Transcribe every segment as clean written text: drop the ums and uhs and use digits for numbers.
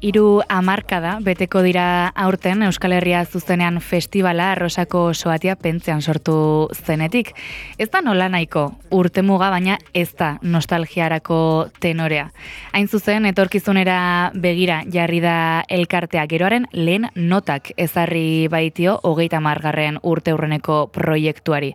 30 beteko dira aurten Euskal Herria zuzenean festivala Arrosako Soatia Pentzean sortu zenetik. Ez da nola nahiko urtemuga, baina ez da nostalgiarako tenorea. Hain zuzen, etorkizunera begira jarri da elkartea, geroaren lehen notak ezarri baitio 30. urteurreneko proiektuari.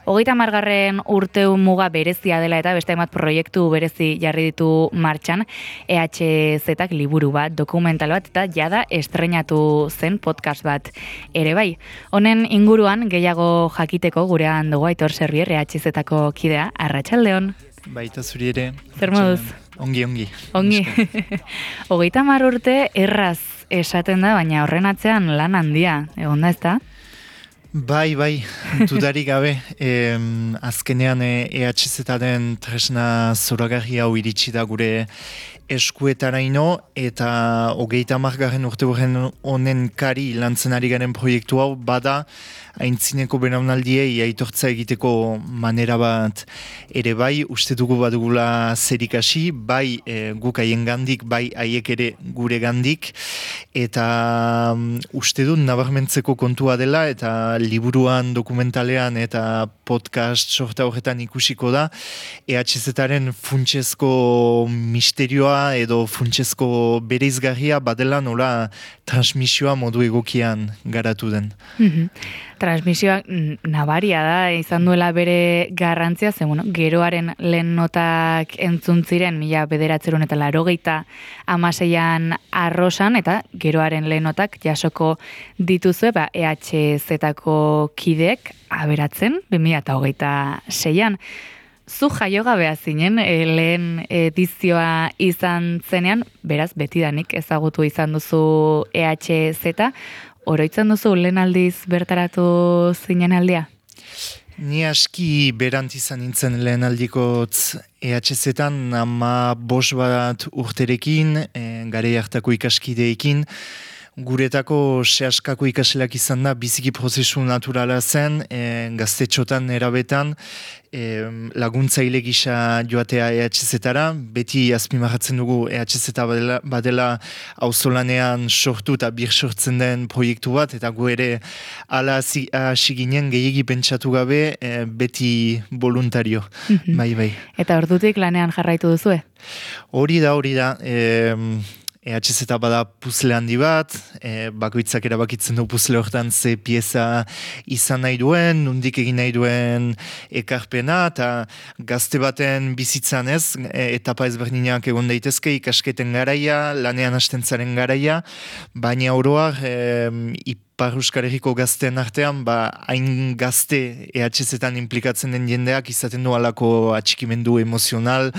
30. urteu muga berezia dela eta beste hainbat proiektu berezi jarri ditu martxan, EHZ-ak liburu bat, dokumental bat eta jada estreinatu zen podcast bat ere bai. Honen inguruan gehiago jakiteko gurean dugu Aitor Servier, EHZ-ako kidea, arratsaldeon. Baita zuri ere. Zer moduz? Ongi. Ongi. 30 urte erraz esaten da, baina horren atzean lan handia, egon da ez da? Bai, dudarik gabe, azkenean EHZ-aren tresna zoragarri hau iritsi da gure eskuetaraino eta 30. urte honen kari lantzen ari garen proiektu hau bada aintzineko belaunaldiei aitortza egiteko manera bat ere bai, uste dugu badugula zerikasi, bai guk haiengandik, bai haiek ere gure gandik, eta uste dut nabarmentzeko kontua dela eta liburuan, dokumentalean eta podcast sorta horretan ikusiko da EHZ-aren funtsezko misterioa edo funtsezko bereizgarria badela nola transmisioa modu egokian garatu den. Transmisioa nabaria da, izan duela bere garrantzia, ze geroaren lehen notak entzun ziren 1986an Arrosan, eta geroaren lehen notak jasoko dituzue EHZ-ako kideek aberatzen 2026an. Zu jaiogabea zinen, lehen edizioa izan zenean, beraz betidanik ezagutu izan duzu EHZ, oroitzen duzu lehen aldiz bertaratu zinen aldia? Ni aski berant izan nintzen lehen aldikotz EHZ-etan 15 urterekin, garai hartako ikaskideekin, guretako sehaskako ikaselak izan da, biziki prozesu naturala zen, gaztetxotan erabetan, laguntzaile gisa joatea EHZ-etara, beti azpimarratzen dugu EHZ badela auzolanean sortu eta bir sortzen den proiektu bat, eta gu ere ala hasi ginen gehiegi pentsatu gabe, beti voluntario. Bai. Eta ordutik lanean jarraitu duzue? Hori da, EHZ bada puzle handi bat, bakoitzak erabakitzen du puzle hortan ze pieza izan nahi duen, nondik egin nahi duen ekarpena, eta gazte baten bizitzan ez, etapa ezberdinak egon daitezke, ikasketen garaia, lanean hastentzaren garaia, baina oroak Ipar Euskal Herriko gazteen artean, hain gazte EHZ-etan implikatzen den jendeak izaten du alako atxikimendu emozional,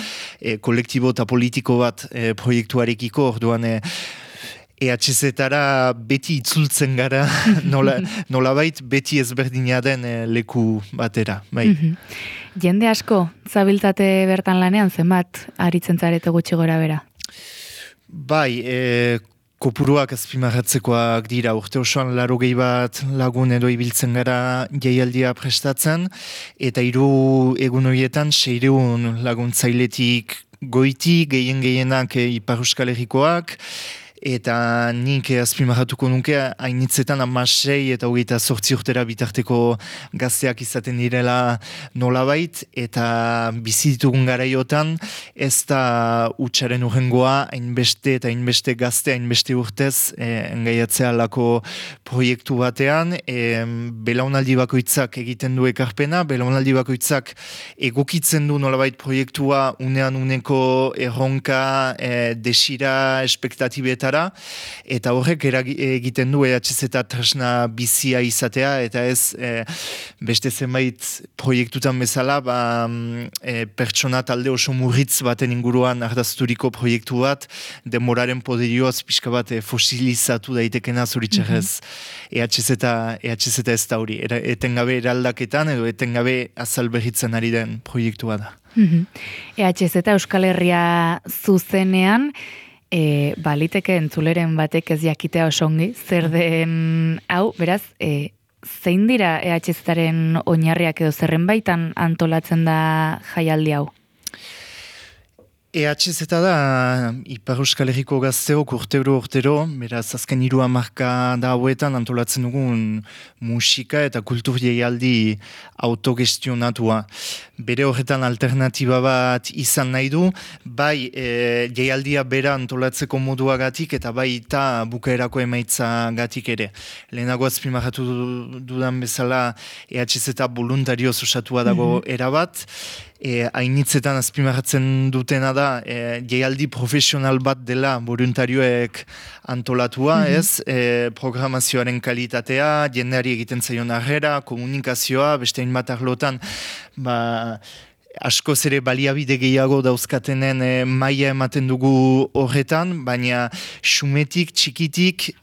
kolektibo eta politiko bat proiektuarekiko, orduan EHZ-etara beti itzultzen gara, nolabait beti ezberdina den leku batera. Bai. Jende asko, zabiltzate bertan lanean, zenbat aritzen zarete gutxi gora bera? Bai, kopuruak azpimarratzekoak dira, urte osoan 80 bat lagun edo ibiltzen gara jaialdia prestatzen, eta 3 egun horietan 600 laguntzailetik goiti, gehienak Ipar Euskal Herrikoak, eta nik azpimarratuko nuke hainitzetan 16 eta 28 urtera bitarteko gazteak izaten direla nolabait, eta bizi ditugun garaiotan ez da hutsaren urrengoa hainbeste eta hainbeste gazte, hainbeste urtez engaiatzea lako proiektu batean, belaunaldi bakoitzak egiten du ekarpena, belaunaldi bakoitzak egokitzen du nolabait proiektua unean uneko erronka, desira, espektatibetara, eta horrek egiten du EHZ tresna bizia izatea, eta ez beste zenbait proiektutan bezala pertsona talde oso murritz baten inguruan ardazturiko proiektu bat, denboraren poderioaz pixka bat fosilizatu daitekena zoritxarrez. EHZ ez da hori, etengabe eraldaketan edo etengabe azalberritzen ari den proiektua da. EHZ Euskal Herria zuzenean, baliteke entzuleren batek ez jakitea osongi, zer den hau, beraz, zein dira EHZ-aren oinarriak edo zerren baitan antolatzen da jaialdi hau? EHZ da Ipar Euskal Herriko gazteok urtero, beraz azken 3 hamarkada hauetan antolatzen dugun musika eta kultur jaialdi autogestionatua. Bere horretan alternatiba bat izan nahi du, bai jaialdia bera antolatzeko moduagatik eta bai eta bukaerako emaitzagatik ere. Lehenago azpimarratu dudan bezala EHZ voluntarioz osatua dago erabat, hainitzetan azpimarratzen dutena da jaialdi profesional bat dela voluntarioek antolatua, ez? Programazioaren kalitatea, jendeari egiten zaion harrera, komunikazioa, beste hainbat arlotan, askoz ere baliabide gehiago dauzkatenen maila ematen dugu horretan, baina xumetik, txikitik,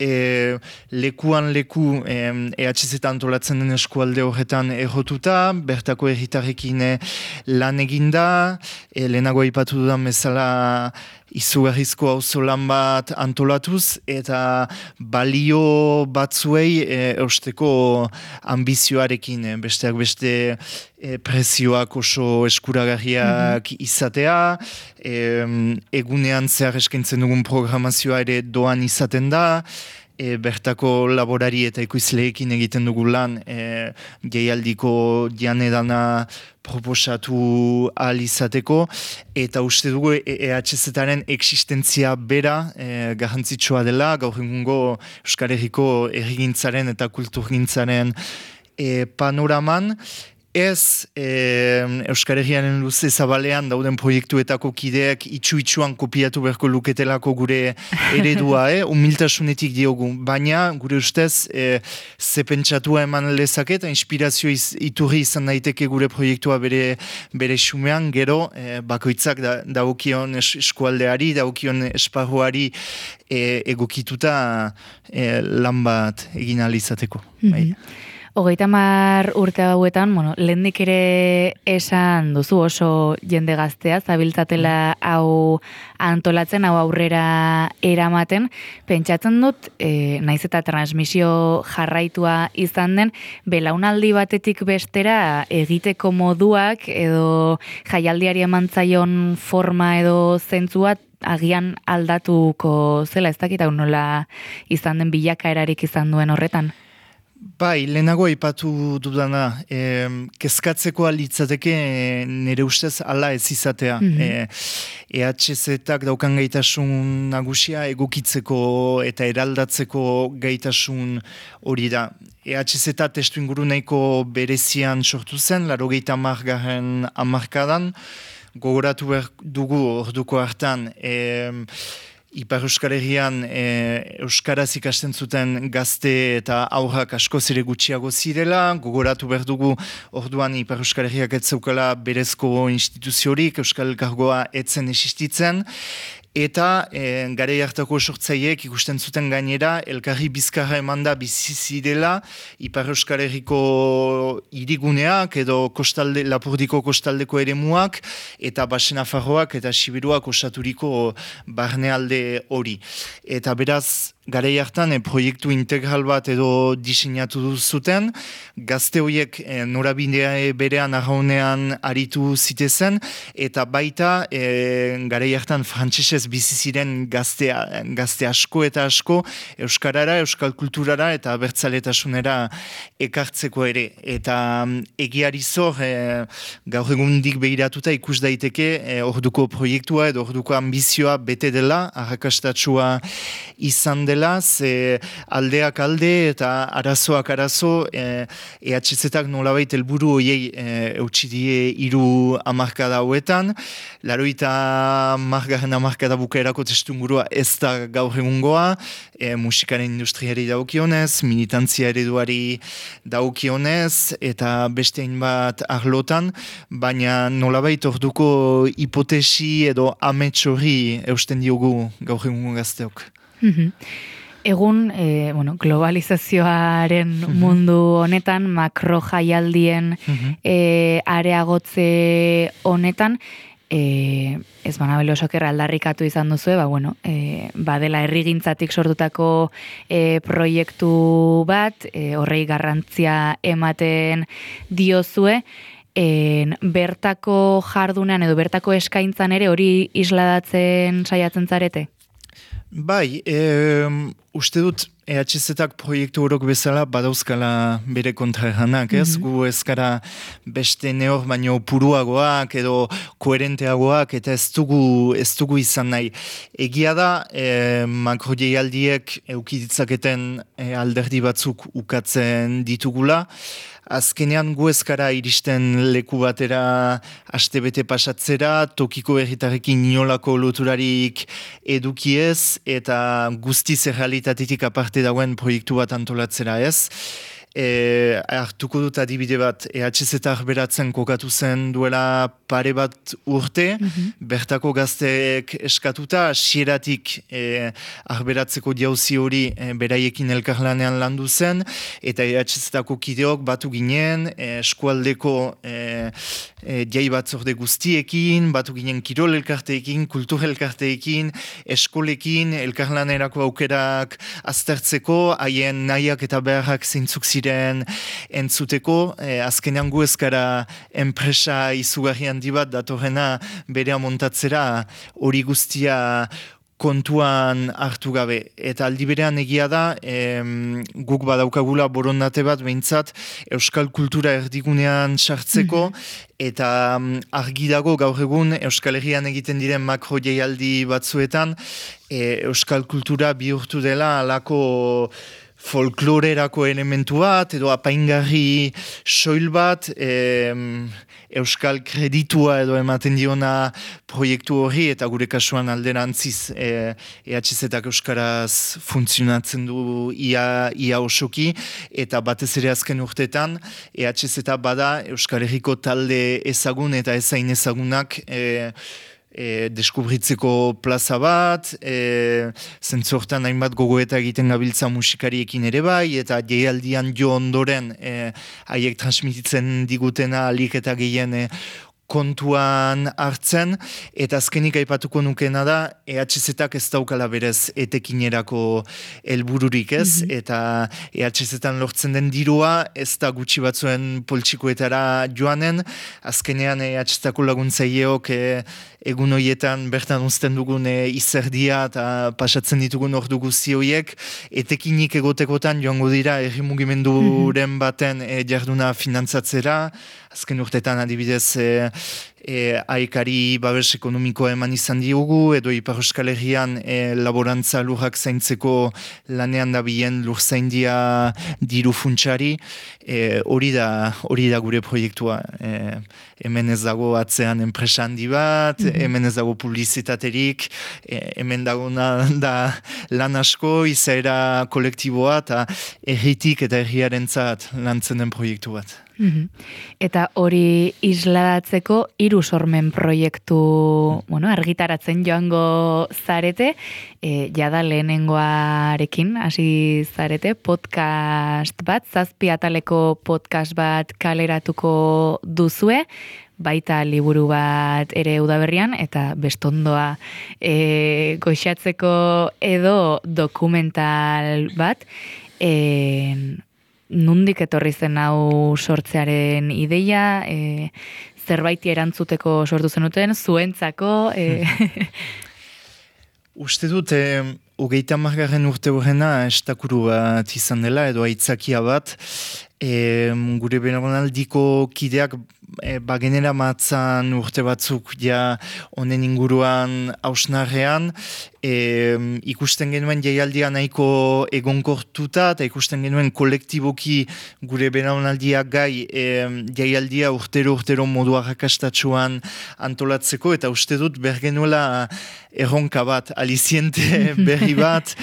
lekuan leku EHZ antolatzen den eskualde horretan errotuta, bertako herritarrekin lan eginda, lehenago aipatu dudan bezala izugarrizko auzolan bat antolatuz, eta balio batzuei eusteko ambizioarekin, besteak beste prezioak oso eskuragarriak izatea, egunean zehar eskaintzen dugun programazioa ere doan izaten da, bertako laborari eta ekoizleekin egiten dugu lan jaialdiko janedana proposatu ahal izateko, eta uste dugu EHZ-aren existentzia bera garrantzitsua dela, gaur egungo Euskal Herriko herrigintzaren eta kulturgintzaren panoraman. Ez Euskal Herriaren luze zabalean dauden proiektuetako kideak itxu-itxuan kopiatu beharko luketelako gure eredua, humiltasunetik diogu, baina gure ustez ze pentsatua eman lezake eta inspirazio iturri izan daiteke gure proiektua bere xumean, gero bakoitzak dagokion eskualdeari, dagokion esparruari egokituta lan bat egin ahal izateko. 30 urte hauetan, lehendik ere esan duzu oso jende gaztea, zabiltzatela hau antolatzen, hau aurrera eramaten. Pentsatzen dut, naiz eta transmisio jarraitua izan den, belaunaldi batetik bestera egiteko moduak edo jaialdiari emantzaion forma edo zentzua agian aldatuko zela, ez dakit hau nola izan den bilakaerarik izan duen horretan? Bai, lehenago aipatu dudana, kezkatzeko litzateke nire ustez ala ez izatea. EHZ-ak daukan gaitasun nagusia egokitzeko eta eraldatzeko gaitasun hori da. EHZ testu inguru nahiko berezian sortu zen, 80. hamarkadan, gogoratu behar dugu orduko hartan, Ipar Euskal Herrian Euskaraz ikasten zuten gazte eta aurrak askoz ere gutxiago zirela, gogoratu behar dugu orduan Ipar Euskal Herriak ez zeukala berezko instituziorik, Euskal Elkargoa etzen existitzen, eta garai hartako sortzaileek ikusten zuten gainera, elkarri bizkarra emanda bizi zirela, Ipar Euskal Herriko hiriguneak edo Lapurdiko kostaldeko eremuak, eta Baxe Nafarroak eta Siberuak osaturiko barnealde hori. Eta beraz, garai hartan proiektu integral bat edo diseinatu zuten, gazte horiek norabidea berean arraunean aritu zitezen, eta baita garai hartan frantsesez bizi ziren gazte asko eta asko euskarara, euskal kulturara eta abertzaletasunera ekartzeko ere. Eta egiari zor, gaur egundik behiratuta ikus daiteke orduko proiektua edo orduko ambizioa bete dela, arrakastatsua izan dela, aldeak alde eta arazoak arazo, EHZ-ak nolabait helburu hoiei eutxidie 3 hamarkada hauetan, 80. hamarkada bukaerako testungurua ez da gaur egungoa, musikaren industriari daukionez, militantzia ereduari daukionez, eta beste hainbat arlotan, baina nolabait orduko hipotesi edo amets hori eusten diogu gaur egungo gazteok. Egun, globalizazioaren mundu honetan, makro jaialdien areagotze honetan, ez banabelo soker aldarrikatu izan duzu, badela herrigintzatik sortutako proiektu bat, horrei garrantzia ematen diozue, bertako jardunean edo bertako eskaintzan ere hori isladatzen saiatzen zarete? Bai, uste dut EHZ-ak proiektu horok bezala badauzkala bere kontraerranak, ez? Gu ezkara beste neor baino puruagoak edo koherenteagoak eta ez dugu izan nahi. Egia da, makroialdiek eukiditzaketen alderdi batzuk ukatzen ditugula. Azkenean gu ezkara iristen leku batera astebete pasatzera, tokiko herritarrekin inolako loturarik edukiez eta guztiz errealitatetik aparte dagoen proiektu bat antolatzera ez. Hartuko dut adibide bat, EHZ arberatzen kokatu zen duela pare bat urte, bertako gazteek eskatuta, sieratik arberatzeko jauzi hori beraiekin elkarlanean landu zen, eta EHZ-ako kideok batu ginen, eskualdeko jai batzorde guztiekin, batu ginen kirol elkarteekin, kultur elkarteekin, eskolekin, elkarlanerako aukerak aztertzeko, haien nahiak eta beharrak zeintzuk ziren entzuteko, azkenean gu ezkara enpresa izugarri handi bat datorrena berea montatzera hori guztia kontuan hartu gabe. Eta aldi berean egia da, guk badaukagula borondate bat behintzat euskal kultura erdigunean sartzeko, eta argi dago gaur egun Euskal Herrian egiten diren makro jaialdi batzuetan, euskal kultura bihurtu dela alako folklorerako elementu bat, edo apaingarri soil bat, euskal kreditua edo ematen diona proiektu horri, eta gure kasuan alderantziz EHZ-ak euskaraz funtzionatzen du ia osoki, eta batez ere azken urtetan, EHZ bada Euskal Herriko talde ezagun eta ezain ezagunak deskubritzeko plaza bat, zentzortan hainbat gogoeta egiten gabiltza musikariekin ere bai, eta jaialdian jo ondoren haiek transmititzen digutena alik eta gehien kontuan hartzen, eta azkenik aipatuko nukena da, EHZ-ak ez daukala berez etekinerako helbururik ez, eta EHZ-etan lortzen den dirua, ez da gutxi batzuen poltsikoetara joanen, azkenean EHZ-ako laguntzaileok egun horietan bertan uzten dugun izerdia eta pasatzen ditugun ordu guzti horiek, etekinik egotekotan joango dira herri mugimenduren baten jarduna finantzatzera, azken urtetan adibidez AEKari babes ekonomikoa eman izan diogu, edo Ipar Euskal Herrian laborantza lurrak zaintzeko lanean dabilen lurzaindia diru funtsari, hori da gure proiektua. Hemen ez dago atzean enpresa handi bat, hemen ez dago publizitaterik, hemen dagona da lan asko, izaera kolektiboa eta herritik eta herriarentzat lantzen den proiektu bat. Eta hori isladatzeko 3 sormen proiektu argitaratzen joango zarete, jada lehenengoarekin hasi zarete, podcast bat, 7 ataleko podcast bat kaleratuko duzue, baita liburu bat ere udaberrian, eta bestondoa goxatzeko edo dokumental bat, nundik etorri zen hau sortzearen ideia, zerbaiti erantzuteko sortu zenuten, zuentzako? Uste dut, 30. urte horrena estakuru bat izan dela, edo aitzakia bat, gure belaunaldiko kideak bagenera matzan urte batzuk ja honen inguruan hausnarrean, ikusten genuen jaialdia nahiko egonkortuta, eta ikusten genuen kolektiboki gure belaunaldiak gai jaialdia urtero modu arrakastatsuan antolatzeko, eta uste dut bergenuela erronka bat, aliziente berri bat,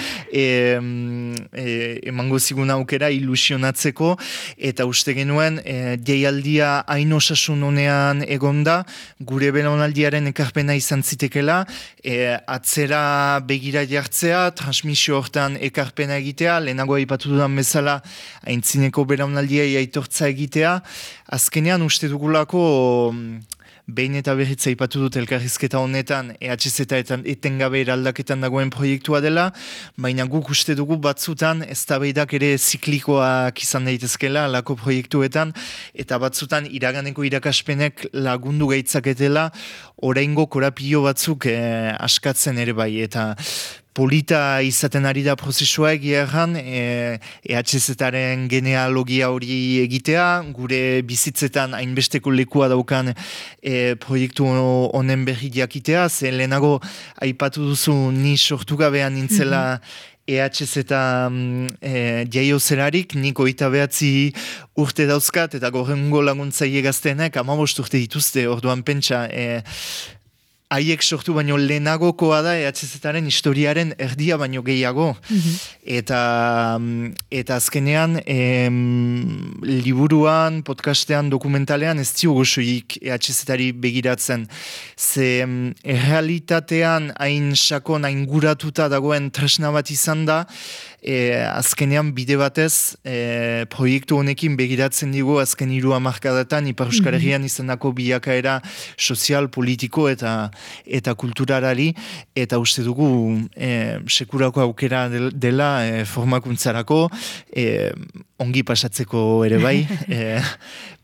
emango zigun aukera ilusionatzeko, eta uste genuen jaialdia hain osasun honean egonda, gure belaunaldiaren ekarpena izan zitekela, atzera begira jartzea, transmisio hortan ekarpena egitea, lehenago aipatu dudan bezala aintzineko belaunaldiai aitortza egitea, azkenean uste dugulako behin eta berriz aipatu dut elkarrizketa honetan EHZ eta etengabe eraldaketan dagoen proiektua dela, baina guk uste dugu batzutan eztabaidak ere ziklikoak izan daitezkela alako proiektuetan, eta batzutan iraganeko irakaspenek lagundu gaitzaketela oraingo korapio batzuk askatzen ere bai, eta polita izaten ari da prozesua egia erran, EHZ-aren genealogia hori egitea, gure bizitzetan hainbesteko lekua daukan proiektu honen berri jakitea, ze lehenago aipatu duzu ni sortu gabean nintzela EHZ eta jaio zerarik, nik 29 urte dauzkat, eta gorrengo laguntzaile gazteenek 15 urte dituzte, orduan pentsa, haiek sortu baino lehenagokoa da EHZ-aren historiaren erdia baino gehiago. Eta azkenean liburuan, podcastean, dokumentalean ez diogu soilik EHZ-ari begiratzen. Ze errealitatean hain sakon, hain guratuta dagoen tresna bat izan da, azkenean bide batez proiektu honekin begiratzen digu azken 3 hamarkadatan Ipar Euskal Herrian izandako bilakaera sozial, politiko eta kulturalari, eta uste dugu sekurako aukera dela formakuntzarako, ongi pasatzeko ere bai,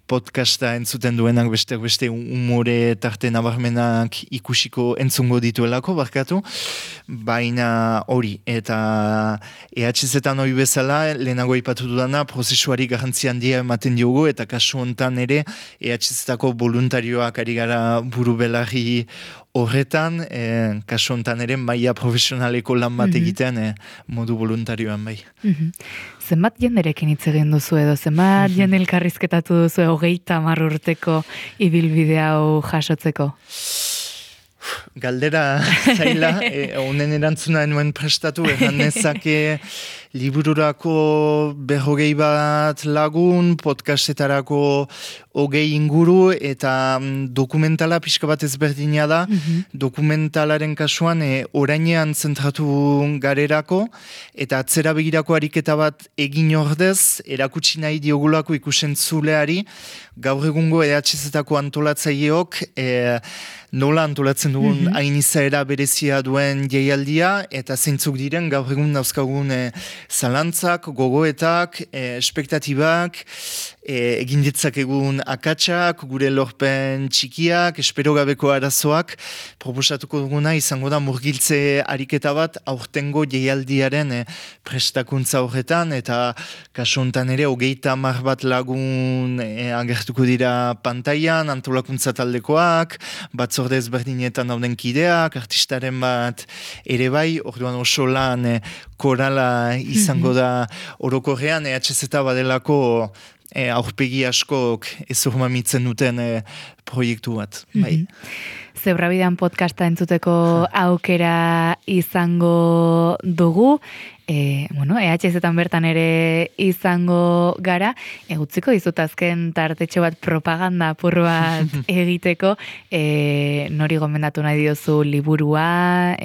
podcasta entzuten duenak beste umore tarte nabarmenak ikusiko entzungo dituelako, barkatu, baina hori, eta EHZ-etan hori bezala, lehenago ipatu dudana, prozesuari garrantzi handia ematen diogu, eta kasu hontan ere, EHZ-etako voluntarioak ari gara buru belarri horretan, kasu hontan ere, maila profesionaleko lan bat egitean modu voluntarioan bai. Zenbat jenderekin hitz egin duzu edo, zenbat jende elkarrizketatu duzu 30 urteko ibilbide hau jasotzeko? Galdera zaila, honen erantzuna enuen prestatu, eran nezake libururako 40 bat lagun, podcastetarako 20 inguru, eta dokumentala pixka bat ezberdina da. Dokumentalaren kasuan orainean zentratu garerako, eta atzera begirako ariketa bat egin ordez, erakutsi nahi diogulako ikusentzuleari, gaur egungo EHZ-etako antolatzaileok nola antolatzen dugun hain izaera berezia duen jaialdia, eta zeintzuk diren gaur egun dauzkagun zalantzak, gogoetak, espektatibak, egin ditzakegun akatsak, gure lorpen txikiak, espero gabeko arazoak, proposatuko duguna izango da murgiltze ariketa bat aurtengo jaialdiaren prestakuntza horretan, eta kasu honetan ere 30 bat lagun agertuko dira pantailan, antolakuntza taldekoak, batzorde ezberdinetan dauden kideak, artistaren bat ere bai, orduan oso lan korala izango da orokorrean, EHZ badelako aurpegi askok ezurmamitzen duten proiektu bat. Bai. Zebrabidean podcasta entzuteko aukera izango dugu, EHZ-etan bertan ere izango gara, utziko dizut azken tartetxo bat propaganda apur bat egiteko, nori gomendatu nahi diozu liburua,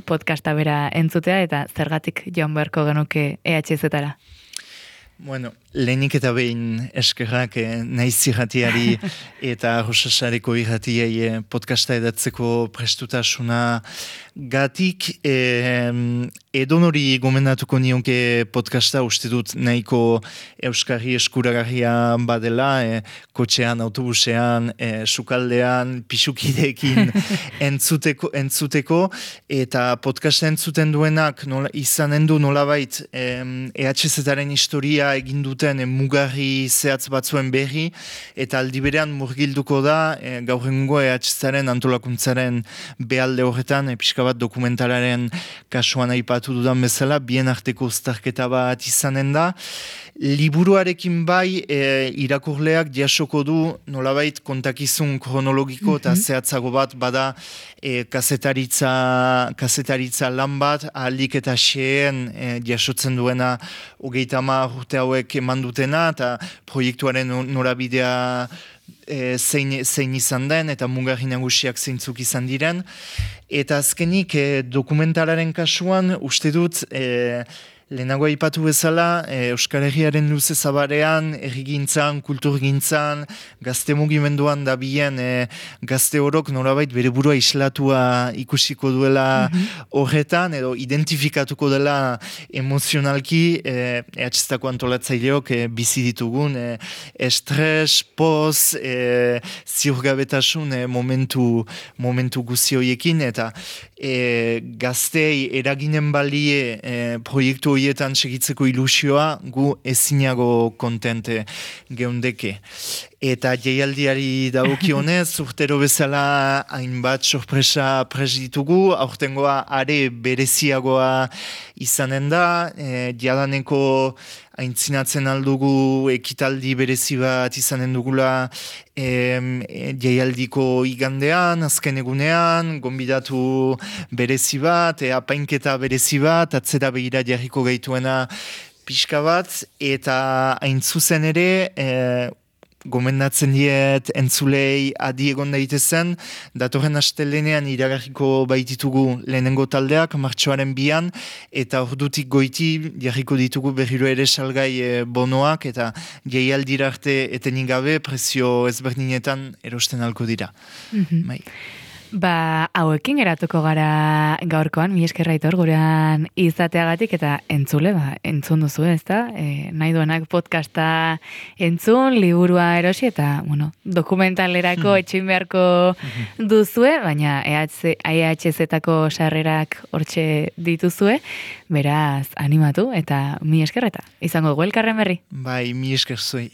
podcasta bera entzutea, eta zergatik joan beharko genuke EHZ-etara? Bueno, lehenik eta behin eskerrak naiz irratiari eta Rosasareko irratiei podcasta edatzeko prestutasuna gatik, edonori gomendatuko nionke podcasta, uste dut nahiko euskarri eskuragarria badela, kotxean, autobusean, sukaldean, pisukideekin entzuteko, eta podcasta entzuten duenak izanen du nolabait EHZ-aren historia egin duten mugarri zehatz batzuen berri, eta aldi berean murgilduko da gaur egungo EHZ-aren antolakuntzaren behalde horretan, pixka bat dokumentalaren kasuan aipatu dudan bezala, bien arteko uztarketa bat izanen da. Liburuarekin bai irakurleak jasoko du nolabait kontakizun kronologiko eta zehatzago bat bada kazetaritza lan bat, ahalik eta xeen jasotzen duena 30 urte hauek eman dutena, eta proiektuaren norabidea zein izan den, eta mugarri nagusiak zeintzuk izan diren. Eta azkenik dokumentalaren kasuan, uste dut Lehenago aipatu bezala, Euskal Herriaren luze zabarean, errigintzan, kulturgintzan, gazte mugimenduan dabien gazte horok norabait bere burua islatua ikusiko duela horretan, edo identifikatuko dela emozionalki EHZ-tako antolatzaileok bizi ditugun estres, poz, ziurgabetasun momentu guzi horiekin, eta gaztei eraginen balie proiektu horietan segitzeko ilusioa gu ezinago kontente geundeke. Eta jaialdiari dagokionez, urtero bezala hainbat sorpresa pres ditugu, aurtengoa are bereziagoa izanen da, jadaneko aintzinatzen aldugu ekitaldi berezi bat izanen dugula jaialdiko igandean, azken egunean, gonbidatu berezi bat, apainketa berezi bat, atzera begira jarriko gaituena pixka bat, eta hain zuzen ere, gomendatzen diet entzulei adi egon daitezen, datorren astelenean iragarriko baititugu lehenengo taldeak, martxoaren 2an, eta ordutik goiti jarriko ditugu berriro ere salgai bonoak, eta jaialdira arte etenik gabe prezio ezberdinetan erosten alko dira. Bai. Hauekin geratuko gara gaurkoan, mi eskerra Aitor gurean izateagatik, eta entzule, entzun duzu, ezta? Nahi duenak podcasta entzun, liburua erosi, eta, dokumentalerako etxin beharko duzue, baina EHZ-tako sarrerak hortxe dituzue, beraz, animatu, eta mi eskerreta. Izango dugu elkarren berri? Bai, mi esker zuei.